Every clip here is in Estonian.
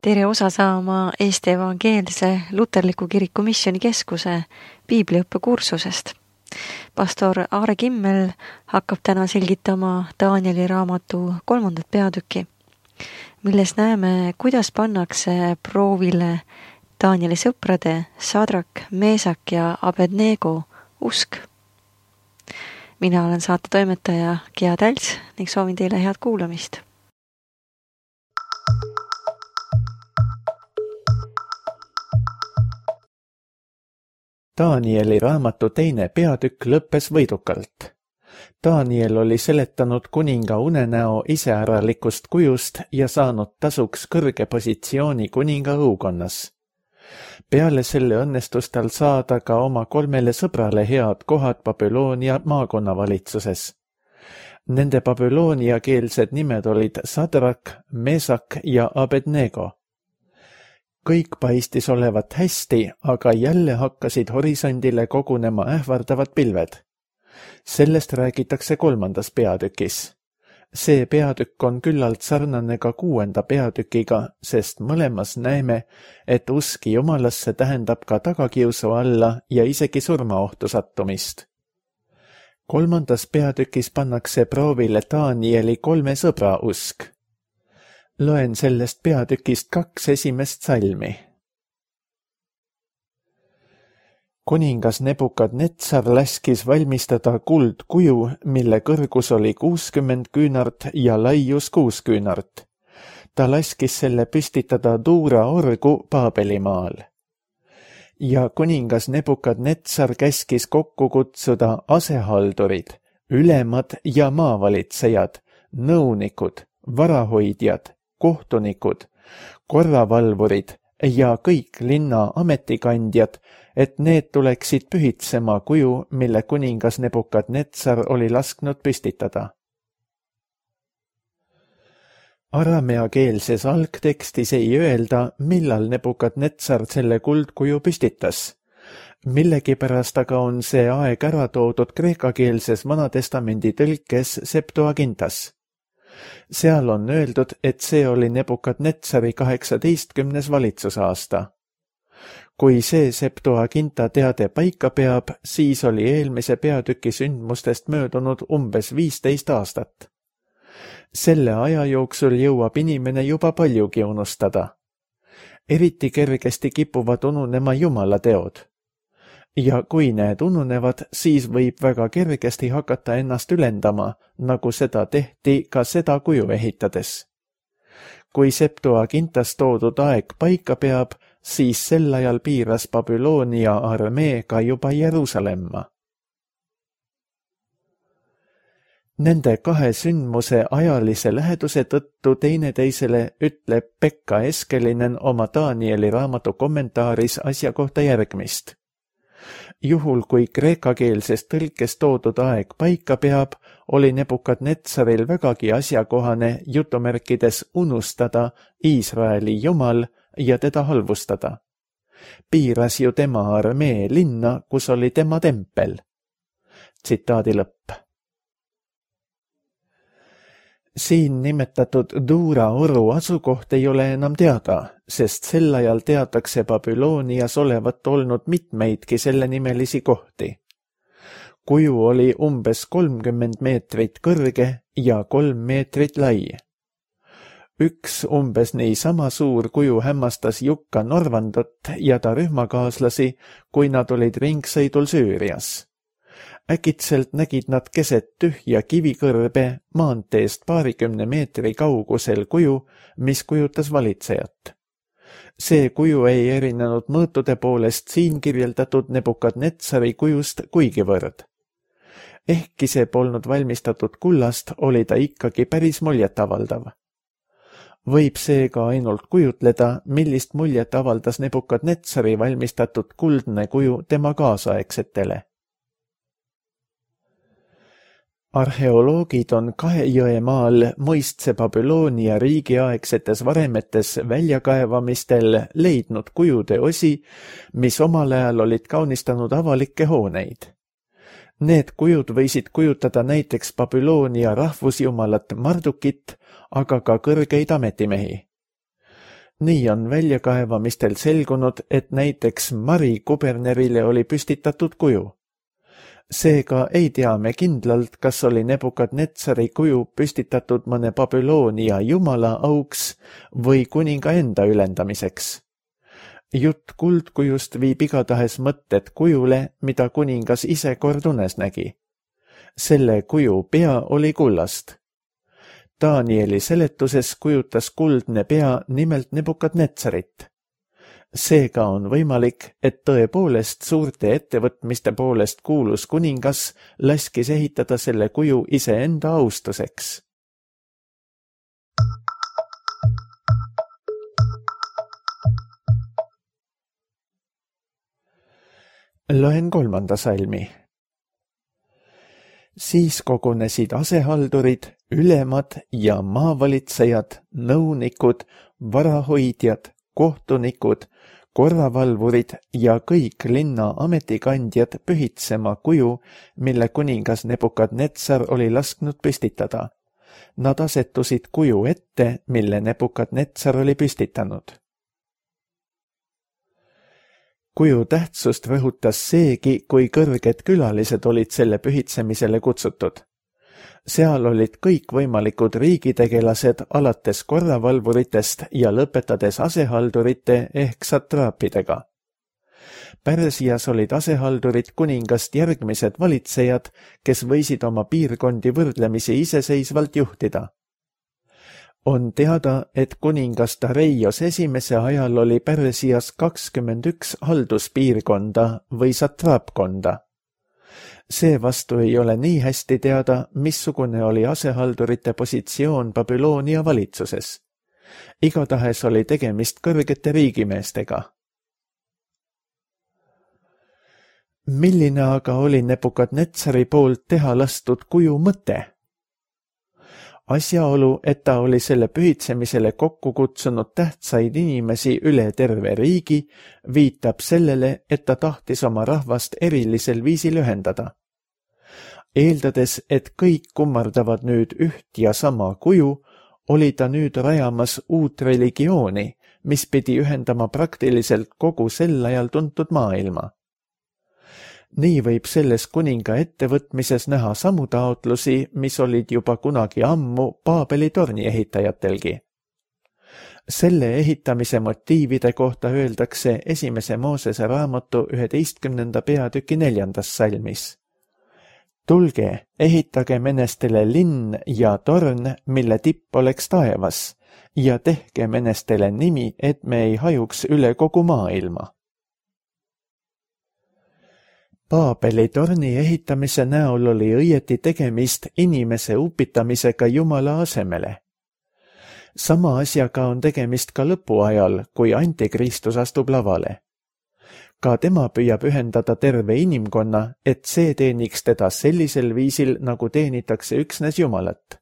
tere osa saama Eesti Evangeelse Luterliku Kiriku Missioonikeskuse piibliõppekursusest. Pastor Aare Kimmel hakkab täna selgitama Danieli raamatu 3. peatüki, milles näeme, kuidas pannakse proovile Danieli sõprade Sadrak, Meesak ja Abednego usk. Mina olen saate toimetaja Gea Tälts ning soovin teile head kuulamist. Danieli raamatu 2. peatükk lõppes võidukalt. Daniel oli seletanud kuninga unenäo iseäralikust kujust ja saanud tasuks kõrge positsiooni kuninga õukonnas. Peale selle õnnestus tal saada ka oma 3 sõbrale head kohad Babyloonia maakonnavalitsuses. Nende babülooniakeelsed nimed olid Sadrak, Meesak ja Abednego. Kõik paistis olevat hästi, aga jälle hakkasid horisondile kogunema ähvardavad pilved. Sellest räägitakse 3. peatükis. See peatükk on küllalt sarnane ka 6. peatükiga, sest mõlemas näeme, et usk Jumalasse tähendab ka tagakiusu alla ja isegi surmaohtu sattumist. 3. peatükis pannakse proovile Danieli 3 sõbra usk. Loen sellest peatükist 2 esimest salmi. Kuningas Nebukadnetsar laskis valmistada kuldkuju, mille kõrgus oli 60 küünart ja laius 6 küünart. Ta laskis selle püstitada Duura orgu Paabelimaal. Ja kuningas Nebukadnetsar käskis kokku kutsuda asehaldurid, ülemad ja maavalitsejad, nõunikud, varahoidjad, kohtunikud, korravalvurid ja kõik linna ametikandjad, et need tuleksid pühitsema kuju, mille kuningas Nebukadnetsar oli lasknud püstitada. Arameakeelses algtekstis ei öelda, millal Nebukadnetsar selle kuldkuju püstitas. Millegipärast aga on see aeg ära toodud kreekakeelses Vanatestamendi tõlkes Septuagintas. Seal on öeldud, et see oli Nebukadnetsari 18. valitsusaasta. Kui see Septuaginta teade paika peab, siis oli eelmise peatüki sündmustest möödunud umbes 15 aastat. Selle aja jooksul jõuab inimene juba paljugi unustada. Eriti kergesti kipuvad ununema Jumala teod. Ja kui need ununevad, siis võib väga kergesti hakata ennast ülendama, nagu seda tehti ka seda kuju ehitades. Kui Septuagintas toodud aeg paika peab, siis sel ajal piiras Babyloonia armee ka juba Jeruusalemma. Nende 2 sündmuse ajalise läheduse tõttu teineteisele ütleb Pekka Eskelinen oma Danieli raamatu kommentaaris asja kohta järgmist. Juhul kui kreekakeelses tõlkes toodud aeg paika peab, oli Nebukadnetsaril vägagi asjakohane jutumärkides unustada Iisraeli Jumal ja teda halvustada. Piiras ju tema armee linna, kus oli tema tempel. Tsitaadi lõpp. Siin nimetatud Duura oru asukoht ei ole enam teada, sest sel ajal teatakse Babylonias olevat olnud mitmeidki sellenimelisi kohti. Kuju oli umbes 30 meetrit kõrge ja 3 meetrit lai. Üks umbes niisama suur kuju hämmastas Jukka Norvandot ja ta rühmakaaslasi, kui nad olid ringsõidul Süürias. Äkitselt nägid nad keset tühja kivikõrbe maanteest 20 meetri kaugusel kuju, mis kujutas valitsejat. See kuju ei erinenud mõõtude poolest siin kirjeldatud Nebukadnetsari kujust kuigivõrd. Ehkki see polnud valmistatud kullast, oli ta ikkagi päris muljetavaldav. Võib seega ainult kujutleda, millist muljet avaldas Nebukadnetsari valmistatud kuldne kuju tema kaasaegsetele. Arheoloogid on Kahejõemaal muistse Babyloonia riigiaegsetes varemetes väljakaevamistel leidnud kujude osi, mis omal ajal olid kaunistanud avalikke hooneid. Need kujud võisid kujutada näiteks Babyloonia rahvusjumalat Mardukit, aga ka kõrgeid ametimehi. Nii on väljakaevamistel selgunud, et näiteks Mari kubernerile oli püstitatud kuju. Seega ei tea me kindlalt, kas oli Nebukadnetsari kuju püstitatud mõne Babyloonia jumala auks või kuninga enda ülendamiseks. Jutt kuldkujust viib igatahes mõtted kujule, mida kuningas ise kord unes nägi. Selle kuju pea oli kullast. Danieli seletuses kujutas kuldne pea nimelt Nebukadnetsarit. Seega on võimalik, et tõepoolest suurte ettevõtmiste poolest kuulus kuningas laskis ehitada selle kuju iseenda austuseks. Loen 3. salmi. Siis kogunesid asehaldurid, ülemad ja maavalitsejad, nõunikud, varahoidjad, kohtunikud, korravalvurid ja kõik linna ametikandjad pühitsema kuju, mille kuningas Nebukadnetsar oli lasknud püstitada. Nad asetusid kuju ette, mille Nebukadnetsar oli püstitanud. Kuju tähtsust rõhutas seegi, kui kõrged külalised olid selle pühitsemisele kutsutud. Seal olid kõikvõimalikud riigitegelased alates korravalvuritest ja lõpetades asehaldurite ehk satraapidega. Pärsias olid asehaldurid kuningast järgmised valitsejad, kes võisid oma piirkondi võrdlemisi iseseisvalt juhtida. On teada, et kuningas Dareios esimese ajal oli Pärsias 21 halduspiirkonda või satraapkonda. Seevastu ei ole nii hästi teada, missugune oli asehaldurite positsioon Babyloonia valitsuses. Igatahes oli tegemist kõrgete riigimeestega. Milline aga oli Nebukadnetsari poolt teha lastud kuju mõte? Asjaolu, et ta oli selle pühitsemisele kokku kutsunud tähtsaid inimesi üle terve riigi, viitab sellele, et ta tahtis oma rahvast erilisel viisil ühendada. Eeldades, et kõik kummardavad nüüd üht ja sama kuju, oli ta nüüd rajamas uut religiooni, mis pidi ühendama praktiliselt kogu sel ajal tuntud maailma. Nii võib selles kuninga ettevõtmises näha samu taotlusi, mis olid juba kunagi ammu Paabeli torni ehitajatelgi. Selle ehitamise motiivide kohta öeldakse 1. Moosese raamatu 11. peatüki 4. salmis. Tulge, ehitage menestele linn ja torn, mille tipp oleks taevas, ja tehke menestele nimi, et me ei hajuks üle kogu maailma. Paabeli torni ehitamise näol oli õieti tegemist inimese upitamisega Jumala asemele. Sama asjaga on tegemist ka lõpuajal, kui Antikristus astub lavale. Ka tema püüab ühendada terve inimkonna, et see teeniks teda sellisel viisil, nagu teenitakse üksnes Jumalat.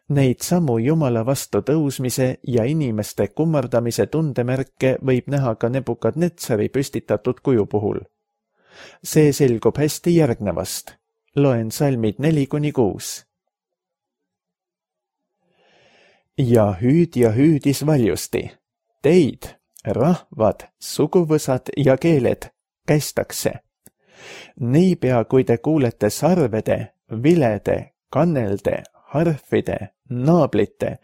Neid samu Jumala vastu tõusmise ja inimeste kummardamise tundemärke võib näha ka Nebukadnetsari püstitatud kuju puhul. See selgub hästi järgnevast. Loen salmid 4-6. Ja hüüdis valjusti. Teid, rahvad, suguvõsad ja keeled, kästakse. Niipea, kui te kuulete sarvede, vilede, kannelde, harfide, naablite,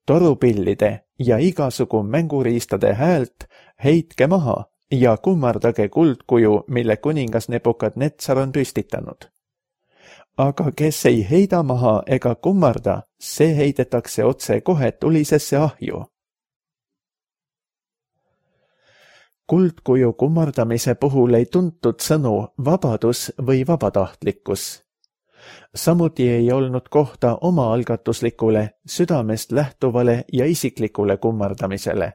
torupillide ja igasugu mänguriistade häält, heitke maha ja kummardage kuldkuju, mille kuningas Nebukadnetsar on püstitanud. Aga kes ei heida maha ega kummarda, see heidetakse otse kohe tulisesse ahju. Kuldkuju kummardamise puhul ei tuntud sõnu vabadus või vabatahtlikkus. Samuti ei olnud kohta omaalgatuslikule, südamest lähtuvale ja isiklikule kummardamisele.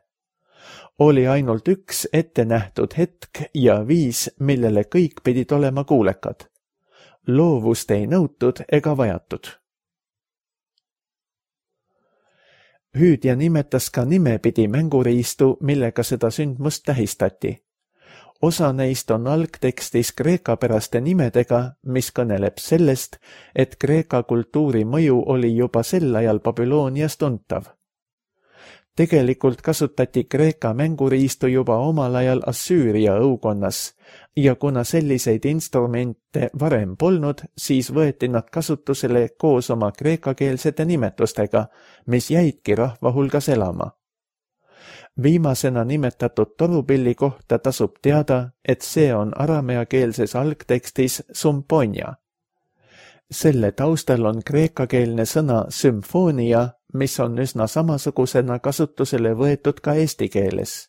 Oli ainult üks ettenähtud hetk ja viis, millele kõik pidid olema kuulekad. Loovust ei nõutud ega vajatud. Hüüdja nimetas ka nimepidi mänguriistu, millega seda sündmust tähistati. Osa neist on algtekstis kreekapäraste nimedega, mis kõneleb sellest, et Kreeka kultuuri mõju oli juba sel ajal Babylonias tuntav. Tegelikult kasutati Kreeka mänguriistu juba omal ajal Assüüria õukonnas ja kuna selliseid instrumente varem polnud, siis võeti nad kasutusele koos oma kreekakeelsete nimetustega, mis jäidki rahva hulgas elama. Viimasena nimetatud torupilli kohta tasub teada, et see on arameakeelses algtekstis sumponia. Selle taustal on kreekakeelne sõna sümfoonia, mis on üsna samasugusena kasutusele võetud ka eesti keeles.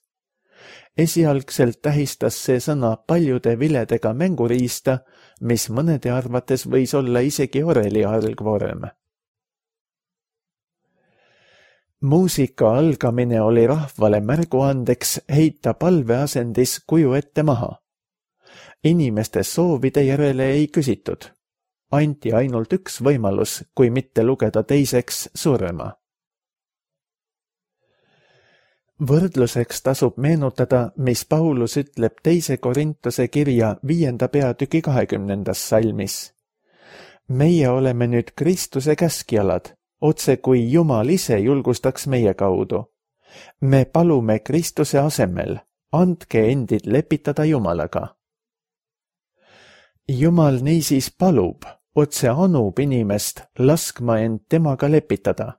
Esialgselt tähistas see sõna paljude viledega mänguriista, mis mõnede arvates võis olla isegi oreli algvorm. Muusika algamine oli rahvale märguandeks heita palveasendis kuju ette maha. Inimeste soovide järele ei küsitud. Anti ainult üks võimalus, kui mitte lugeda teiseks surma. Võrdluseks tasub meenutada, mis Paulus ütleb 2. Korintuse kirja 5. peatüki 20. salmis. Meie oleme nüüd Kristuse käskjalad, otse kui Jumal ise julgustaks meie kaudu. Me palume Kristuse asemel, andke endid lepitada Jumalaga. Jumal niisiis palub, otse anub inimest laskma end temaga lepitada.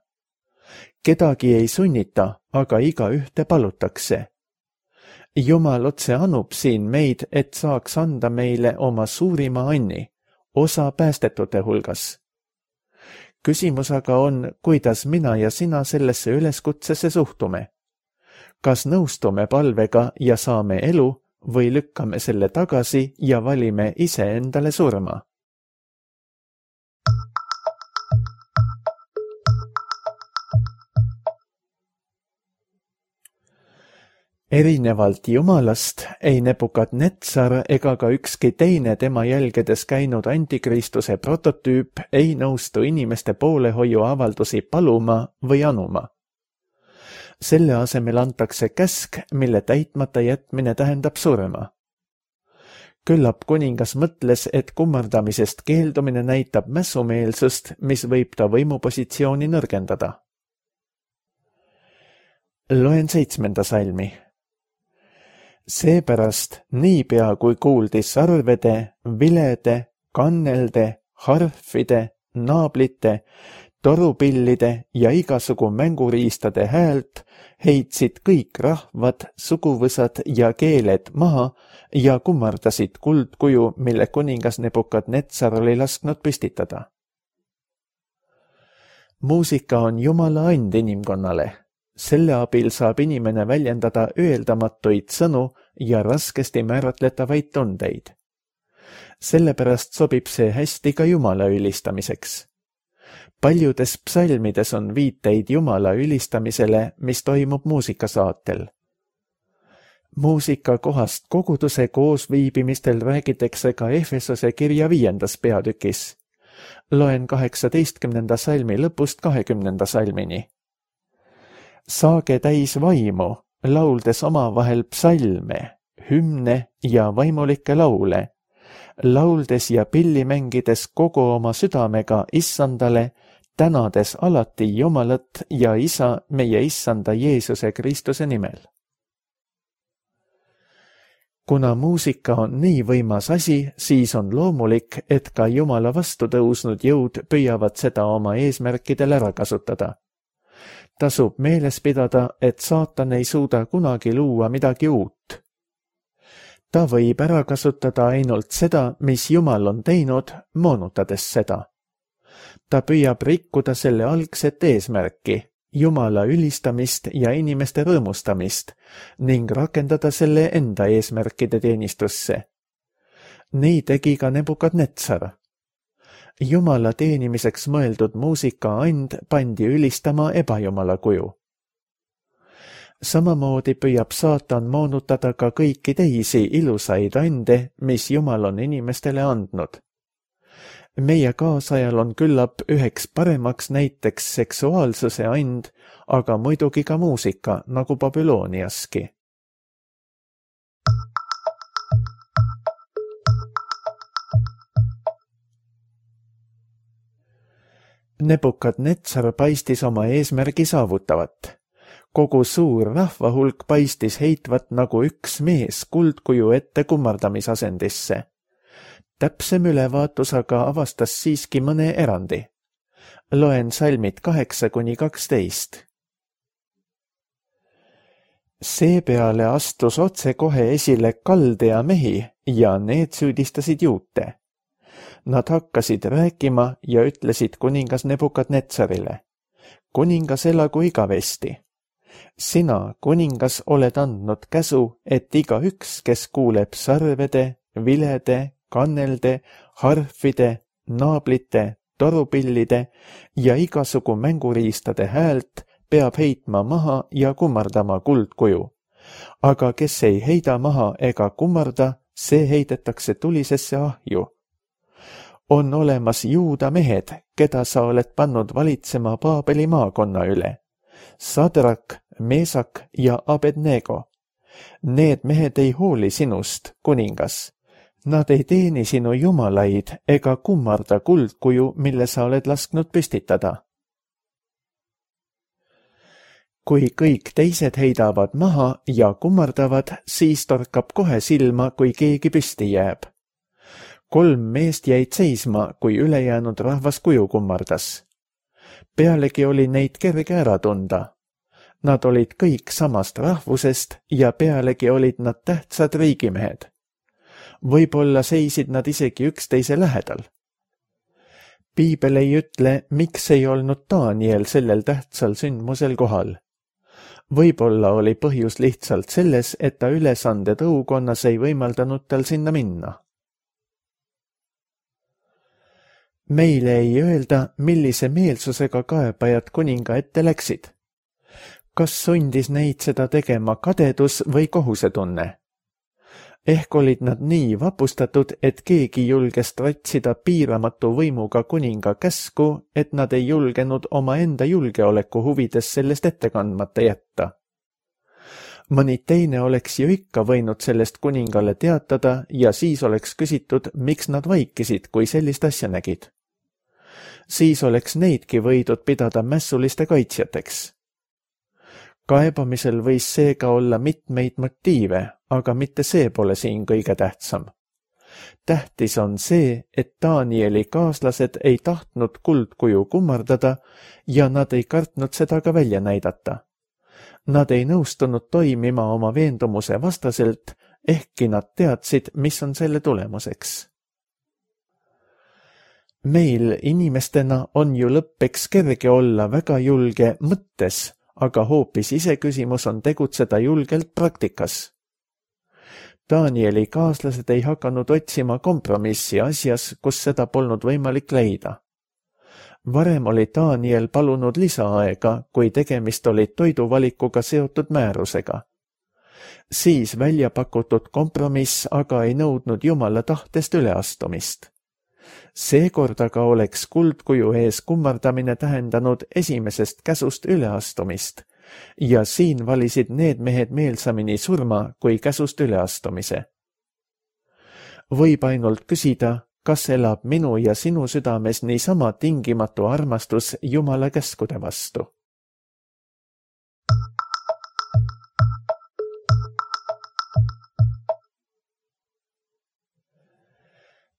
Kedagi ei sunnita, aga igaühte palutakse. Jumal otse anub siin meid, et saaks anda meile oma suurima anni, osa päästetute hulgas. Küsimus aga on, kuidas mina ja sina sellesse üleskutsesse suhtume. Kas nõustume palvega ja saame elu või lükkame selle tagasi ja valime ise endale surma? Erinevalt Jumalast ei Nebukadnetsar ega ka ükski teine tema jälgedes käinud antikristuse prototüüp ei nõustu inimeste poolehoiu avaldusi paluma või anuma. Selle asemel antakse käsk, mille täitmata jätmine tähendab surma. Küllap kuningas mõtles, et kummardamisest keeldumine näitab mässumeelsust, mis võib ta võimupositsiooni nõrgendada. Loen 7. salmi. Seepärast niipea kui kuuldi sarvede, vilede, kannelde, harfide, naablite, torupillide ja igasugu mänguriistade häält, heitsid kõik rahvad, suguvõsad ja keeled maha ja kummardasid kuldkuju, mille kuningas Nebukadnetsar oli lasknud püstitada. Muusika on Jumala and inimkonnale. Selle abil saab inimene väljendada öeldamatuid sõnu ja raskesti määratletavaid tundeid. Sellepärast sobib see hästi ka Jumala ülistamiseks. Paljudes psalmides on viiteid Jumala ülistamisele, mis toimub muusikasaatel. Muusika kohast koguduse koosviibimistel räägitakse ka Efesose kirja 5. peatükis. Loen 18. salmi lõpust 20. salmini. Saage täis vaimu, lauldes omavahel psalme, hümne ja vaimulikke laule, lauldes ja pilli mängides kogu oma südamega Issandale, tänades alati Jumalat ja Isa meie Issanda Jeesuse Kristuse nimel. Kuna muusika on nii võimas asi, siis on loomulik, et ka Jumala vastu tõusnud jõud püüavad seda oma eesmärkidel ära kasutada. Tasub meeles pidada, et saatan ei suuda kunagi luua midagi uut. Ta võib ära kasutada ainult seda, mis Jumal on teinud, moonutades seda. Ta püüab rikkuda selle algset eesmärki, Jumala ülistamist ja inimeste rõõmustamist, ning rakendada selle enda eesmärkide teenistusse. Nii tegi ka Nebukadnetsar. Jumala teenimiseks mõeldud muusika and pandi ülistama ebajumala kuju. Samamoodi püüab saatan moonutada ka kõiki teisi ilusaid ande, mis Jumal on inimestele andnud. Meie kaasajal on küllap üheks paremaks näiteks seksuaalsuse and, aga muidugi ka muusika, nagu Babyloniaski. Nebukadnetsar paistis oma eesmärgi saavutavat. Kogu suur rahvahulk paistis heitvat nagu üks mees kuldkuju ette kummardamisasendisse. Täpsem ülevaatus aga avastas siiski mõne erandi. Loen salmid 8-12. Seepeale astus otse kohe esile Kaldea mehi ja need süüdistasid juute. Nad hakkasid rääkima ja ütlesid kuningas Nebukadnetsarile: kuningas elagu igavesti. Sina, kuningas, oled andnud käsu, et igaüks, kes kuuleb sarvede, vilede, kannelde, harfide, naablite, torupillide ja igasugu mänguriistade häält, peab heitma maha ja kummardama kuldkuju. Aga kes ei heida maha ega kummarda, see heidetakse tulisesse ahju. On olemas Juuda mehed, keda sa oled pannud valitsema Paabeli maakonna üle. Sadrak, Meesak ja Abednego. Need mehed ei hooli sinust, kuningas. Nad ei teeni sinu jumalaid ega kummarda kuldkuju, mille sa oled lasknud püstitada. Kui kõik teised heidavad maha ja kummardavad, siis torkab kohe silma, kui keegi püsti jääb. 3 meest jäid seisma, kui ülejäänud rahvas kuju kummardas. Pealegi oli neid kerge ära tunda. Nad olid kõik samast rahvusest ja pealegi olid nad tähtsad riigimehed. Võib-olla seisid nad isegi üksteise lähedal. Piibel ei ütle, miks ei olnud Daniel sellel tähtsal sündmusel kohal. Võib-olla oli põhjus lihtsalt selles, et ta ülesande tõukonnas ei võimaldanud tal sinna minna. Meile ei öelda, millise meelsusega kaebajad kuninga ette läksid. Kas sundis neid seda tegema kadedus või kohusetunne? Ehk olid nad nii vapustatud, et keegi julges tratsida piiramatu võimuga kuninga käsku, et nad ei julgenud oma enda julgeoleku huvides sellest ette kandmata jätta. Mõni teine oleks ju ikka võinud sellest kuningale teatada ja siis oleks küsitud, miks nad vaikisid, kui sellist asja nägid. Siis oleks neidki võidud pidada mässuliste kaitsjateks. Kaebamisel võis seega olla mitmeid motiive, aga mitte see pole siin kõige tähtsam. Tähtis on see, et Danieli kaaslased ei tahtnud kuldkuju kummardada ja nad ei kartnud seda ka välja näidata. Nad ei nõustunud toimima oma veendumuse vastaselt, ehkki nad teadsid, mis on selle tulemuseks. Meil inimestena on ju lõppeks kerge olla väga julge mõttes, aga hoopis iseküsimus on tegutseda julgelt praktikas. Danieli kaaslased ei hakanud otsima kompromissi asjas, kus seda polnud võimalik leida. Varem oli Daniel palunud lisaaega, kui tegemist oli toiduvalikuga seotud määrusega. Siis välja pakutud kompromiss aga ei nõudnud Jumala tahtest üleastumist. Seekord aga oleks kuldkuju ees kummardamine tähendanud esimesest käsust üleastumist ja siin valisid need mehed meelsamini surma kui käsust üleastumise. Võib ainult küsida, kas elab minu ja sinu südames niisama tingimatu armastus Jumala käskude vastu.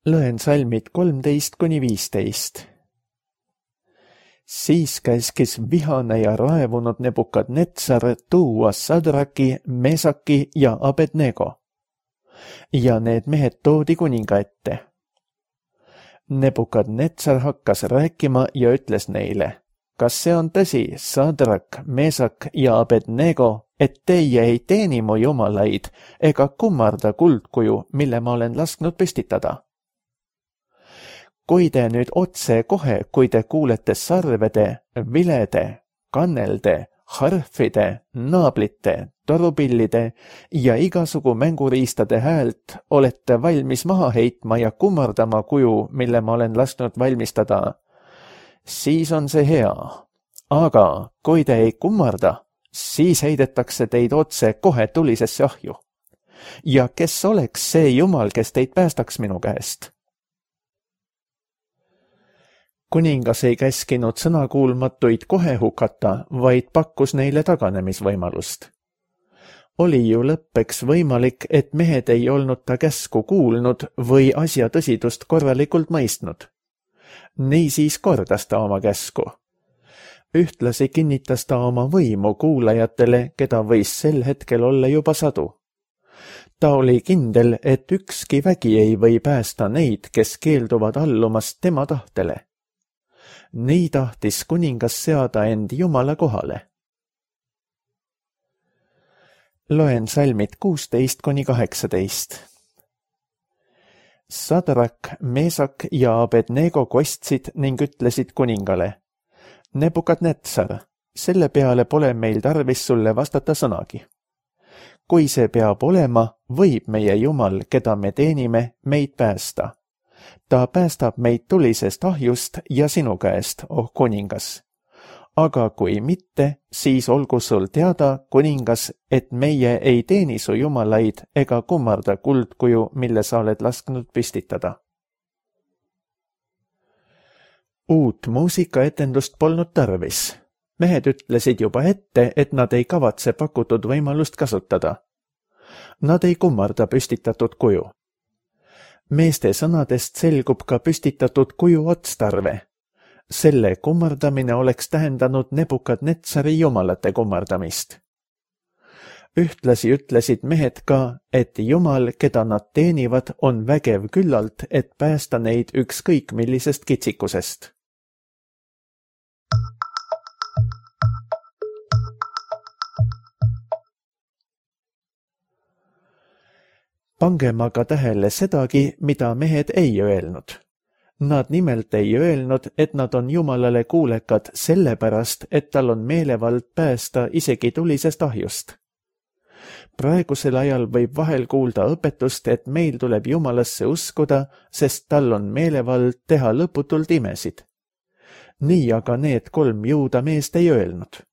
Loen salmid 13-15. Siis käskis vihane ja raevunud Nebukadnetsar tuua Sadraki, Mesaki ja Abednego. Ja need mehed toodi kuninga ette. Nebukadnetsar hakkas rääkima ja ütles neile: kas see on tõsi, Sadrak, Mesak ja Abednego, et teie ei teeni mu jumalaid ega kummarda kuldkuju, mille ma olen lasknud püstitada? Kui te nüüd otse kohe, kui te kuulete sarvede, vilede, kannelde, harfide, naablite, torupillide ja igasugu mänguriistade häält, olete valmis maha heitma ja kummardama kuju, mille ma olen lasknud valmistada, siis on see hea. Aga kui te ei kummarda, siis heidetakse teid otse kohe tulisesse ahju. Ja kes oleks see Jumal, kes teid päästaks minu käest? Kuningas ei käskinud sõnakuulmatuid kohe hukata, vaid pakkus neile taganemisvõimalust. Oli ju lõppeks võimalik, et mehed ei olnud ta käsku kuulnud või asja tõsidust korralikult mõistnud. Niisiis kordas ta oma käsku. Ühtlasi kinnitas ta oma võimu kuulajatele, keda võis sel hetkel olla juba sadu. Ta oli kindel, et ükski vägi ei või päästa neid, kes keelduvad allumast tema tahtele. Nii tahtis kuningas seada end Jumala kohale. Loen salmid 16–18. Sadrak, Meesak ja Abednego kostsid ning ütlesid kuningale: Nebukadnetsar, selle peale pole meil tarvis sulle vastata sõnagi. Kui see peab olema, võib meie Jumal, keda me teenime, meid päästa. Ta päästab meid tulisest ahjust ja sinu käest, oh kuningas. Aga kui mitte, siis olgu sul teada, kuningas, et meie ei teeni su jumalaid ega kummarda kuldkuju, mille sa oled lasknud püstitada. Uut muusikaetendust polnud tarvis. Mehed ütlesid juba ette, et nad ei kavatse pakutud võimalust kasutada. Nad ei kummarda püstitatud kuju. Meeste sõnadest selgub ka püstitatud kuju otstarve. Selle kummardamine oleks tähendanud Nebukadnetsari jumalate kummardamist. Ühtlasi ütlesid mehed ka, et Jumal, keda nad teenivad, on vägev küllalt, et päästa neid ükskõik millisest kitsikusest. Pangem aga tähele sedagi, mida mehed ei öelnud. Nad nimelt ei öelnud, et nad on Jumalale kuulekad sellepärast, et tal on meelevald päästa isegi tulisest ahjust. Praegusel ajal võib vahel kuulda õpetust, et meil tuleb Jumalasse uskuda, sest tal on meelevald teha lõputult imesid. Nii aga need 3 juuda meest ei öelnud.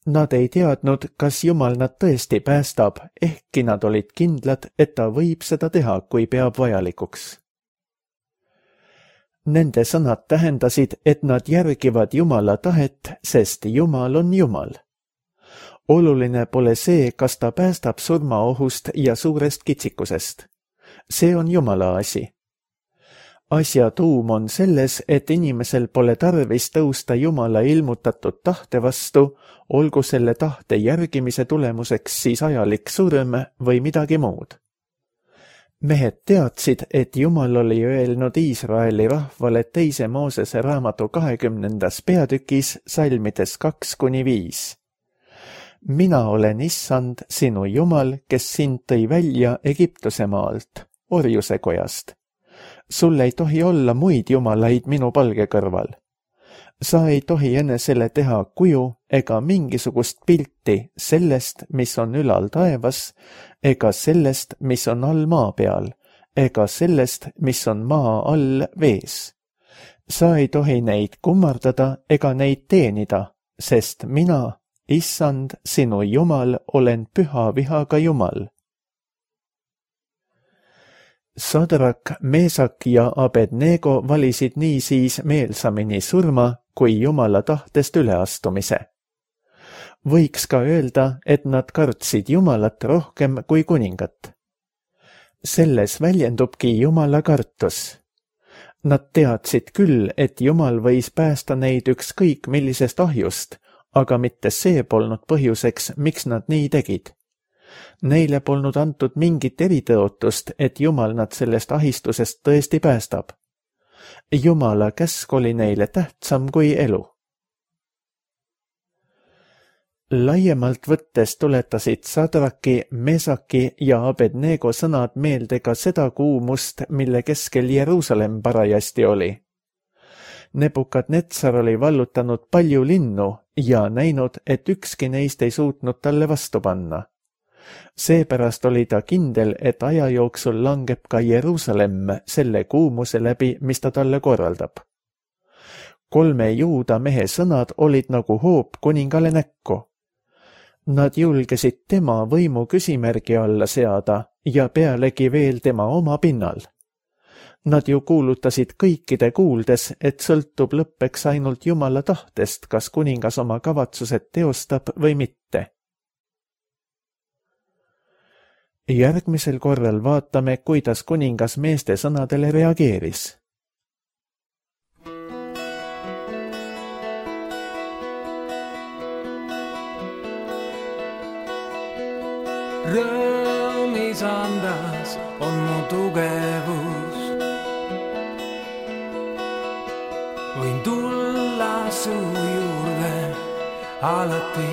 Nad ei teadnud, kas Jumal nad tõesti päästab, ehkki nad olid kindlad, et ta võib seda teha, kui peab vajalikuks. Nende sõnad tähendasid, et nad järgivad Jumala tahet, sest Jumal on Jumal. Oluline pole see, kas ta päästab surmaohust ja suurest kitsikusest. See on Jumala asi. Asja tuum on selles, et inimesel pole tarvis tõusta Jumala ilmutatud tahte vastu, olgu selle tahte järgimise tulemuseks siis ajalik surm või midagi muud. Mehed teadsid, et Jumal oli öelnud Iisraeli rahvale 2. Moosese raamatu 20. peatükis salmides 2–5. Mina olen Issand, sinu Jumal, kes sind tõi välja Egiptuse maalt, orjuse kojast. Sul ei tohi olla muid jumalaid minu palge kõrval. Sa ei tohi enesele teha kuju ega mingisugust pilti sellest, mis on ülal taevas, ega sellest, mis on all maa peal, ega sellest, mis on maa all vees. Sa ei tohi neid kummardada ega neid teenida, sest mina, Issand, sinu Jumal, olen püha vihaga Jumal. Sadrak, Meesak ja Abednego valisid niisiis meelsamini surma kui Jumala tahtest üleastumise. Võiks ka öelda, et nad kartsid Jumalat rohkem kui kuningat. Selles väljendubki Jumala kartus. Nad teadsid küll, et Jumal võis päästa neid ükskõik millisest ahjust, aga mitte see polnud põhjuseks, miks nad nii tegid. Neile polnud antud mingit eritõotust, et Jumal nad sellest ahistusest tõesti päästab. Jumala käsk oli neile tähtsam kui elu. Laiemalt võttes tuletasid Sadraki, Mesaki ja Abednego sõnad meelde ka seda kuumust, mille keskel Jeruusalemm parajasti oli. Nebukadnetsar oli vallutanud palju linnu ja näinud, et ükski neist ei suutnud talle vastu panna. Seepärast oli ta kindel, et aja jooksul langeb ka Jeruusalemm selle kuumuse läbi, mis ta talle korraldab. 3 juuda mehe sõnad olid nagu hoop kuningale näkku. Nad julgesid tema võimu küsimärgi alla seada ja pealegi veel tema oma pinnal. Nad ju kuulutasid kõikide kuuldes, et sõltub lõppeks ainult Jumala tahtest, kas kuningas oma kavatsused teostab või mitte. Järgmisel korral vaatame, kuidas kuningas meeste sõnadele reageeris. Rõõmis andas on mu tugevus. Võin tulla su juurde alati.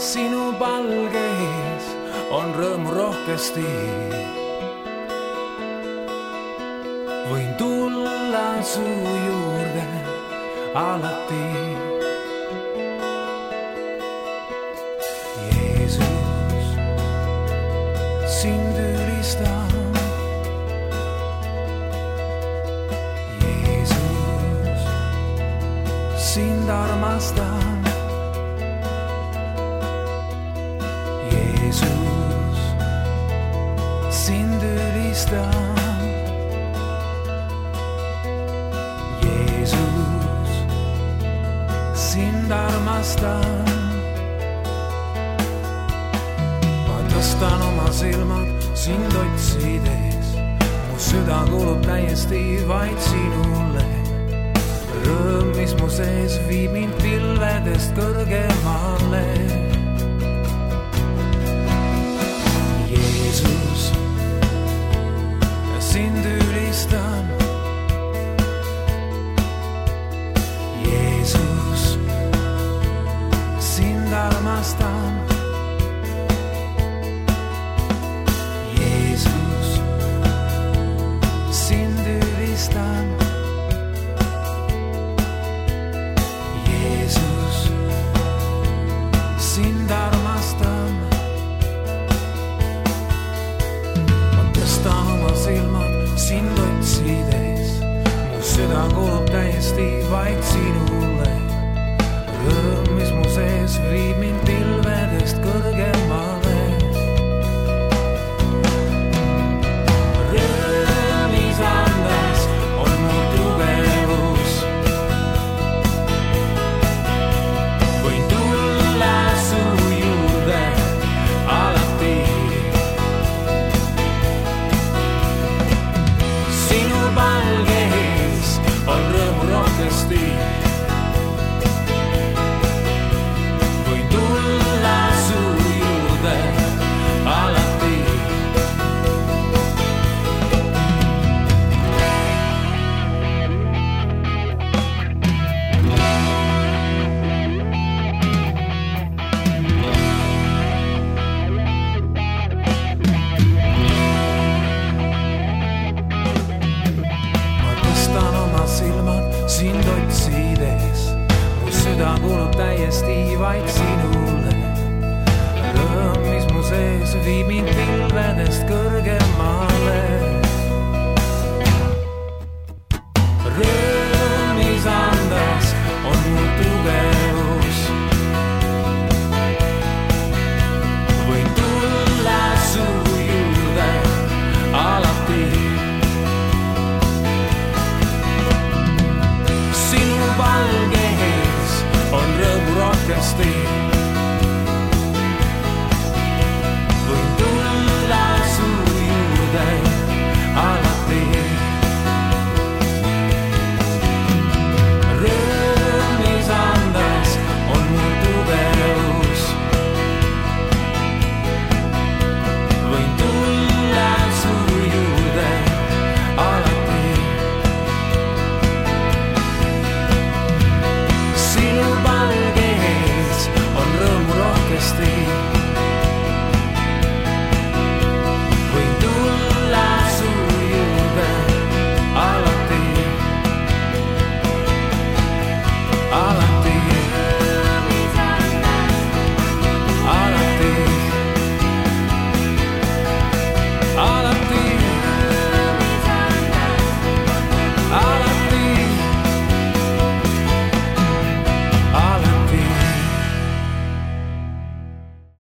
Sinu palgeis on rõõmu rohkesti. Võin tulla su juurde alati. Jeesus, sind ülistan. Jeesus, sind armastan. Jeesus, sind ülistan. Jeesus, sind armastan. Ma tõstan oma silmad sind otsides. Mu süda kuulub täiesti vaid sinule. Rõõm, mis mu sees viib mind pilvedest kõrgemale. Jeesus, sind ülistan. Jeesus, sind armastan. Jeesus, sind ülistan. Jeesus, sind armastan. Oma silmad sind otsides. Mu süda kuulub täiesti vaid sinule. Rõõm, mis mu sees viib mind pilvedest kõrgemale. Rõõmis andes on mu tugevus. Võin tulla su juurde alati. Palgeis on rõõmu rohkesti. Võin tulla su juurde alati. Sind otsides, mu süda kuulub täiesti vaid sinule. Rõõm, mis mu sees viib mind pilvedest kõrgemale.